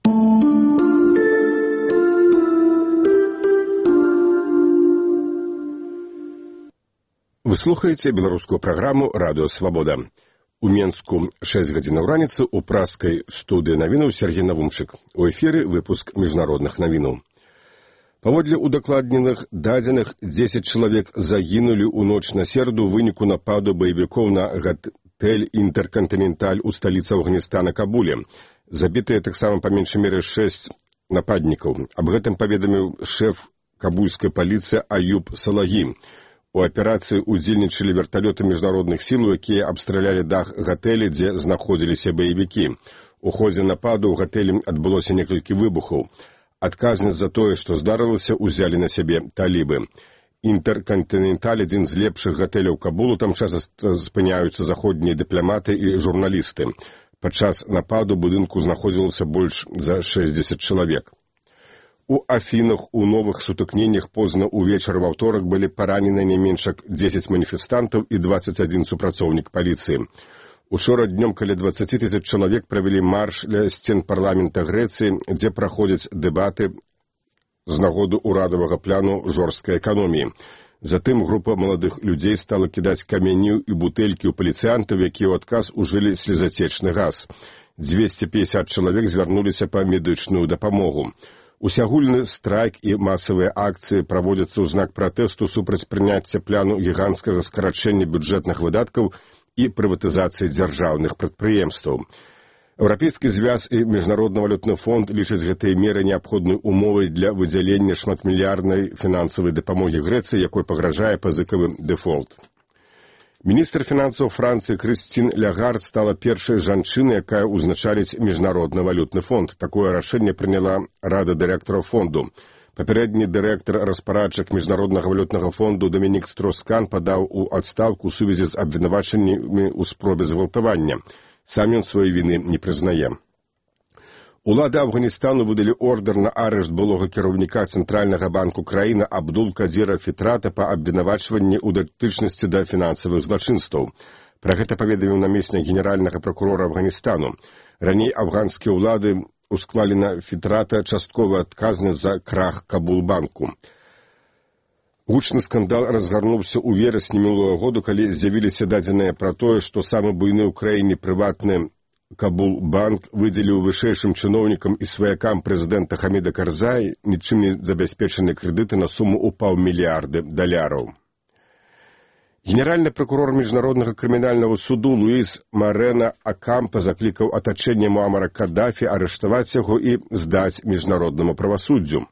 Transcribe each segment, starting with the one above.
Вы слухаеце беларускую праграму «Радыё Свабода». У Менску 6 гадзінаў раніцы ў праскай студыі навінаў Сергей Навумчык. У эфіры выпуск міжнародных навінаў. Паводле удакладненых дадзеных 10 чалавек загінулі ў ноч на сераду ў выніку нападу баевікоў на гатэль «Інтэркантыненталь» у сталіцы Афганістана Кабуле. Забітыя таксама па меншай меры 6 нападнікаў. Аб гэтым паведаміў шэф кабульскай паліцыі Аюб Салагі. У аперацыі удзельнічалі верталёты міжнародных сіл, якія абстралялі дах гатэля, дзе знаходзіліся баевікі. У ходзе нападу ў гатэлі адбылося некалькі выбухаў. Адказнасць за тое, што здарылася, узялі на сябе талібы. «Інтэркантыненталь» – адзін з лепшых гатэляў Кабулу, там часта спыняюцца заходнія дыпламаты і журналісты. Падчас нападу будынку знаходзілася больш за 60 чалавек. У Афінах у новых сутыкненнях позна ўвечары ва ўторак былі паранены не менш як 10 маніфестантаў і 21 супрацоўнік паліцыі. Учора днём каля 20 000 чалавек правялі марш ля сцен парламента Грэцыі, дзе праходзяць дэбаты з нагоды ўрадавага пляну жорсткай эканоміі. Затым група маладых людзей стала кідаць камяні і бутэлькі ў паліцыянтаў, якія ў адказ ужылі слезацечны газ. 250 чалавек звярнуліся па медычную дапамогу. Усеагульны страйк і масавыя акцыі праводзяцца ў знак пратэсту супраць прыняцця пляну гіганцкага скарачэння бюджэтных выдаткаў і прыватызацыі дзяржаўных прадпрыемстваў. Еўрапейскі звяз і Міжнародны валютны фонд лічаць гэтыя меры неабходнай умовай для выдзялення шматмільярднай фінансавай дапамогі Грэцыі, якой пагражае пазыкавы дэфолт. Міністр фінансаў Францыі Крыстін Лягард стала першай жанчынай, якая ўзначаліць Міжнародны валютны фонд. Такое рашэнне прыняла Рада дырэктараў фонду. Папярэдні дырэктар распарадчык Міжнароднага валютнага фонду Дамінік Строскан падаў у адстаўку ў сувязі з абвінавачаннямі ў спробе згвалтавання. Сам ён сваёй віны не прызнае. Улады Афганістану выдалі ордер на арышт былога кіраўніка Цэнтральнага банку краіны Абдул-Кадзіра Фітрата па абвінавачванні ў датычнасці да фінансавых злачынстваў. Пра гэта паведаміў намеснік генеральнага пракурора Афганістану. Раней афганскія ўлады усклалі на Фітрата частковую адказнасць за крах Кабул-банку. Гучны скандал разгарнуўся ў верасні мінулого году, калі з'явіліся дадзеныя пра тое, што самы буйны ў краіне прыватны Кабул-банк выдзеліў вышэйшым чыноўнікам і сваякам прэзідэнта Хаміда Карзая нічым не забяспечаныя крэдыты на суму ў $500 мільярдаў. Генеральны пракурор Міжнароднага крымінальнага суду Луіс Марена Акампа заклікаў атачэнне Муамара Каддафі арыштаваць яго і здаць міжнароднаму правасуддзю.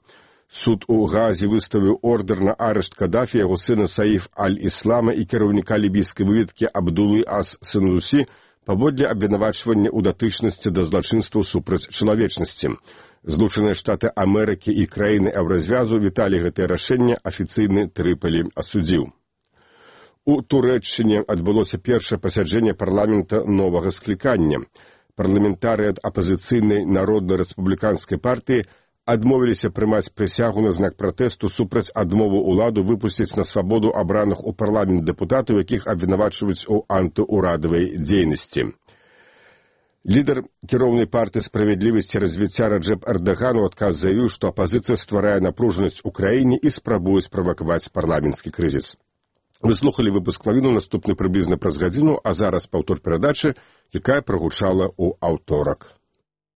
Суд у Гаазе выставіў ордер на арышт Каддафі, яго сына Саіф Аль-Іслама і кіраўніка лібійскай выведкі Абдулы Ас-Сынусі паводле абвінавачвання ў датычнасці да злачынстваў супраць чалавечнасці. Злучаныя Штаты Амерыкі і краіны Еўразвязу віталі гэтае рашэнне, афіцыйны Трыполі асудзіў. У Турэччыне адбылося першае пасяджэнне парламента новага склікання. Парламентарыі ад апазіцыйнай народна-рэспубліканскай партыі адмовіліся прымаць прысягу на знак пратэсту супраць адмовы ўладу выпусціць на свабоду абраных у парламент дэпутатаў, якіх абвінавачваюць у антыурадавай дзейнасці. Лідар кіроўнай партыі «Справядлівасць і развіцця» Раджэп Эрдаган у адказ заявіў, што апазіцыя стварае напружанасць у краіне і спрабуе справакаваць парламенtsкі крызіс. Вы слухалі выпуск навінаў, наступны прыблізна праз гадзіну, а зараз паўтор перадачы, якая прагучала ў аўторак.